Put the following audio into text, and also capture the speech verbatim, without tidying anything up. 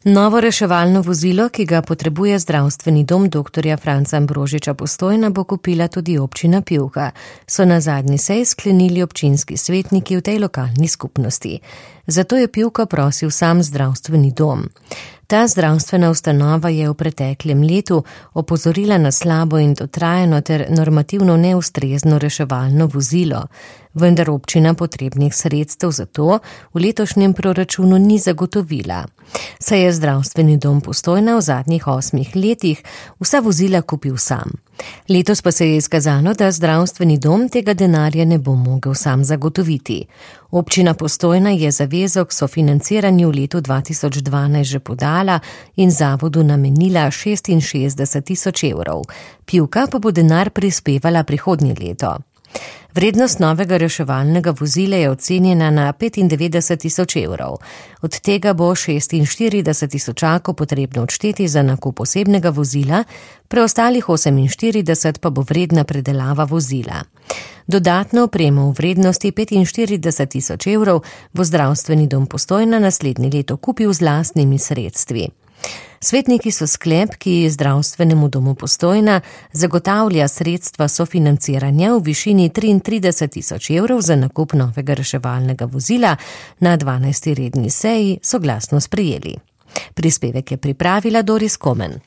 Novo reševalno vozilo, ki ga potrebuje zdravstveni dom doktorja Franca Ambrožiča Postojna, bo kupila tudi občina Pivka, so na zadnji seji sklenili občinski svetniki v tej lokalni skupnosti. Zato je Pivka prosil sam zdravstveni dom. Ta zdravstvena ustanova je v preteklem letu opozorila na slabo in dotrajano ter normativno neustrezno reševalno vozilo, vendar občina potrebnih sredstev za to v letošnjem proračunu ni zagotovila. Saj je zdravstveni dom Postojna v zadnjih osmih letih vsa vozila kupil sam. Letos pa se je izkazalo, da zdravstveni dom tega denarja ne bo mogel sam zagotoviti. Občina Postojna je zavezo k sofinanciranju v letu dva tisoč dvanajst že podala in zavodu namenila šestinšestdeset tisoč evrov. Pivka pa bo denar prispevala prihodnje leto. Vrednost novega reševalnega vozila je ocenjena na petindevetdeset tisoč evrov. Od tega bo šestinštirideset tisočakov potrebno odšteti za nakup osebnega vozila, preostalih oseminštirideset pa bo vredna predelava vozila. Dodatno opremo v vrednosti petinštirideset tisoč evrov bo zdravstveni dom Postojna naslednje leto kupil z lastnimi sredstvi. Svetniki so sklep, ki zdravstvenemu domu Postojna zagotavlja sredstva sofinanciranja v višini triintrideset tisoč evrov za nakup novega reševalnega vozila, na dvanajsti redni seji soglasno sprejeli. Prispevek je pripravila Doris Komen.